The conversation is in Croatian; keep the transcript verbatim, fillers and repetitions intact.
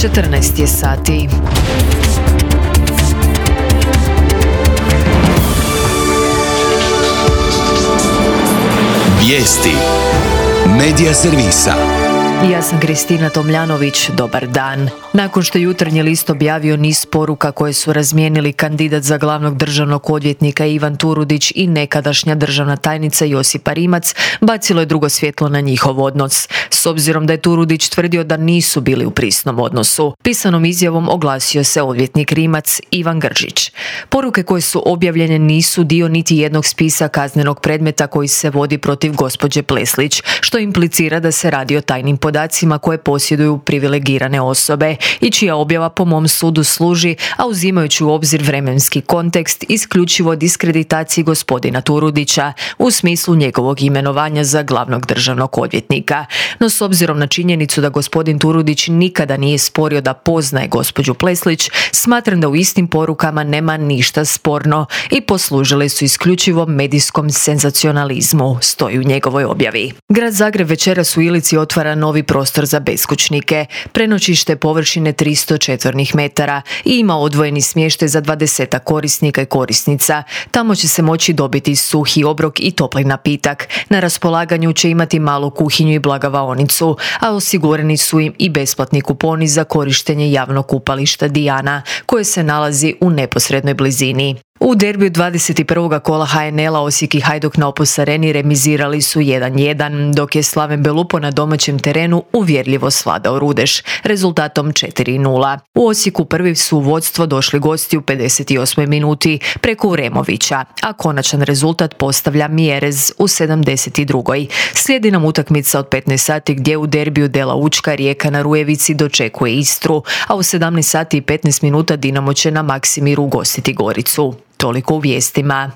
četrnaest je sati. Vijesti Medija servisa. Ja sam Kristina Tomljanović, dobar dan. Nakon što je Jutarnji list objavio niz poruka koje su razmijenili kandidat za glavnog državnog odvjetnika Ivan Turudić i nekadašnja državna tajnica Josipa Rimac, bacilo je drugo svjetlo na njihov odnos. S obzirom da je Turudić tvrdio da nisu bili u prisnom odnosu, pisanom izjavom oglasio se odvjetnik Rimac Ivan Gržić. Poruke koje su objavljene nisu dio niti jednog spisa kaznenog predmeta koji se vodi protiv gospođe Pleslić, što implicira da se radi o tajnim podacima koje posjeduju privilegirane osobe i čija objava po mom sudu služi, a uzimajući u obzir vremenski kontekst, isključivo diskreditaciji gospodina Turudića u smislu njegovog imenovanja za glavnog državnog odvjetnika. No s obzirom na činjenicu da gospodin Turudić nikada nije sporio da poznaje gospođu Pleslić, smatram da u istim porukama nema ništa sporno i poslužile su isključivo medijskom senzacionalizmu, stoji u njegovoj objavi. Grad Zagreb večeras u Ilici otvara novi prostor za beskućnike, prenoćište površine tristo četvornih metara i ima odvojeni smještaj za dvadesetak korisnika i korisnica. Tamo će se moći dobiti suhi obrok i topli napitak. Na raspolaganju će imati malu kuhinju i blagavaonicu, a osigurani su im i besplatni kuponi za korištenje javnog kupališta Dijana, koje se nalazi u neposrednoj blizini. U derbiju dvadeset prvog kola ha en el-a Osijek i Hajduk na Opus Areni remizirali su jedan jedan, dok je Slaven Belupo na domaćem terenu uvjerljivo svladao Rudeš, rezultatom četiri nula. U Osijeku prvi su u vodstvo došli gosti u pedeset osmoj minuti preko Uremovića, a konačan rezultat postavlja Mjerez u sedamdeset drugoj. Slijedi nam utakmica od petnaest sati gdje u derbiju Dela Učka Rijeka na Rujevici dočekuje Istru, a u sedamnaest sati i petnaest minuta Dinamo će na Maksimiru ugostiti Goricu. Toliko u vijestima.